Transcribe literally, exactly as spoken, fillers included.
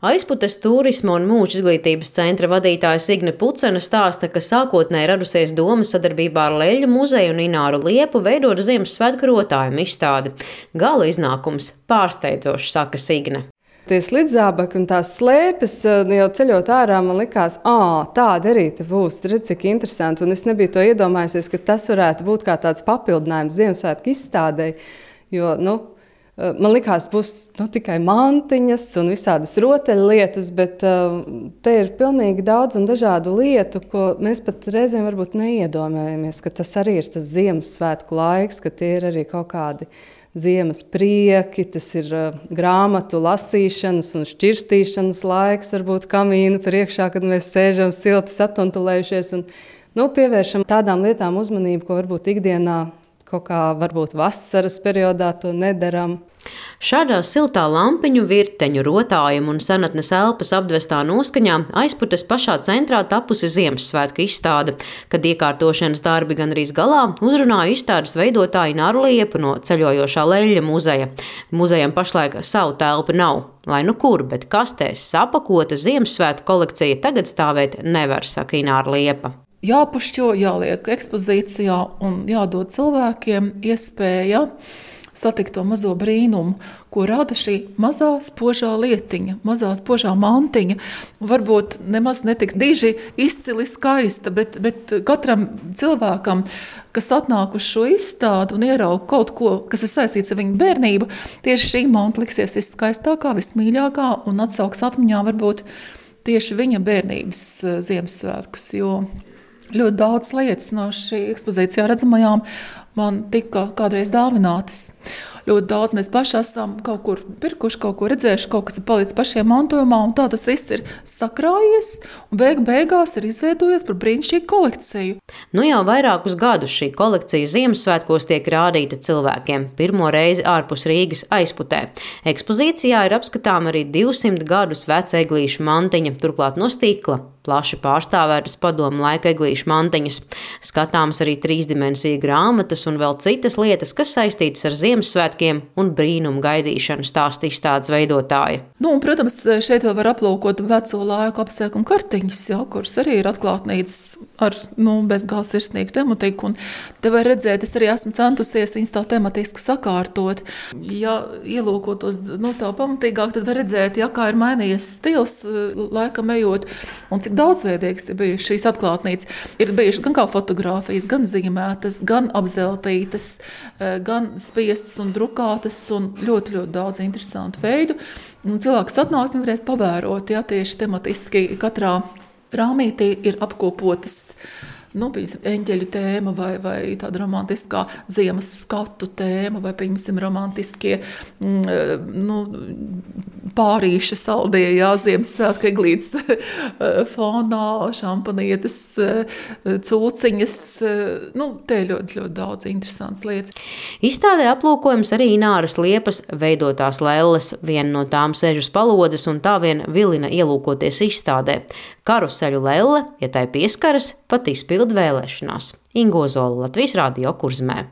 Aizputes turisma un mūža izglītības centra vadītāja Signe Pucena stāsta, ka sākotnēji radusies doma sadarbībā ar Leļļu muzeju un Ināru Liepu veidot Ziemassvētku rotājumu izstādi. Gala iznākums pārsteidzošs, saka Signe. Tie slidzābaki un tās slēpes, jau ceļot ārā, man likās, ā, tāda arī te būs, redz, cik interesanti. Un es nebiju to iedomājusies, ka tas varētu būt kā tāds papildinājums Ziemassvētku izstādei, jo, nu, man likās, būs nu, tikai mantiņas un visādas rotaļlietas, bet uh, te ir pilnīgi daudz un dažādu lietu, ko mēs pat reizēm varbūt neiedomājamies, ka tas arī ir tas Ziemassvētku laiks, ka tie ir arī kaut kādi ziemas prieki, tas ir uh, grāmatu lasīšanas un šķirstīšanas laiks, varbūt kamīnu priekšā, kad mēs sēžam silti satuntulējušies un nu, pievēršam tādām lietām uzmanību, ko varbūt ikdienā kaut kā varbūt vasaras periodā to nedaram. Šādā siltā lampiņu, virteņu, rotājumu un senatnes elpas apdvestā noskaņā Aizputes pašā centrā tapusi Ziemassvētku izstāde, kad iekārtošanas darbi gandrīz galā uzrunāja izstādes veidotāju Ināru Liepu no ceļojošā Leļļa muzeja. Muzejam pašlaik savu telpu nav, lai nu kur, bet kastēs sapakota Ziemassvētku kolekcija tagad stāvēt nevar, saka Ināra Liepa. Jāpušķo, jāliek ekspozīcijā un jādod cilvēkiem iespēja satikt to mazo brīnumu, ko rada šī mazā spožā lietiņa, mazā spožā mantiņa. Varbūt nemaz netik diži izcili skaista, bet, bet katram cilvēkam, kas atnāk uz šo izstādi un ieraug kaut ko, kas ir saistīts ar viņu bērnību, tieši šī manta liksies viskaistākā, vismīļākā un atsauks atmiņā varbūt tieši viņa bērnības Ziemassvētkus, jo ļoti daudz lietas no šī ekspozīcijā redzamajām man tika kādreiz dāvinātas. Ļoti daudz mēs paši esam kaut kur pirkuši, kaut ko redzējuši, kaut kas ir palicis pašiem mantojumā, un tā tas viss ir sakrājies, un beig beigās ir izveidojies par brīnišķīgu kolekciju. Nu jau vairākus gadus šī kolekcija Ziemassvētkos tiek rādīta cilvēkiem, pirmo reizi ārpus Rīgas Aizputē. Ekspozīcijā ir apskatām arī divsimt gadus veca eglīšu mantiņa, turklāt no stikla. Plaši pārstāvētas padomu laika eglīšu mantiņas. Skatāms arī trīsdimensiju grāmatas un vēl citas lietas, kas saistītas ar Ziemassvētkiem un brīnumu gaidīšanu, stāsta izstādes veidotāja. Nu, un, protams, šeit vēl var aplūkot veco laiku apsēkumu kartiņas, jā, kuras arī ir atklātnīcas ar nu, bezgala sirsnīgu tematiku. Un te var redzēt, es arī esmu centusies viņas tā tematiski sakārtot. Ja ielūkotos nu, tā pamatīgāk, tad var redzēt, ja, kā ir mainījies stils laikam ejot un cik daudzveidīgas ir bijušas šīs atklātnīcas. Ir bijušas gan kā fotogrāfijas, gan zīmētas, gan apzeltītas, gan spiestas un drukātas un ļoti, ļoti daudz interesantu veidu. Un cilvēks atnāks un varēs pavērot, ja tieši tematiski katrā rāmītī ir apkopotas nu, piemēram, eņģeļu tēma vai, vai tāda romantiskā ziemas skatu tēma vai, piemēram, romantiskie nu, pārīša saldie, jā, Ziemassvētku eglītes fonā, šampanietes, cūciņas, nu, te ļoti, ļoti daudz interesants lietas. Izstādē aplūkojums arī Ināras Liepas veidotās lelles, viena no tām sēž uz palodzes un tā vien vilina ielūkoties izstādē. Karuseļu lelle, ja tai pieskaras, pat izpilda vēlēšanās. Ingo Zola, Latvijas Radio Kurzemē.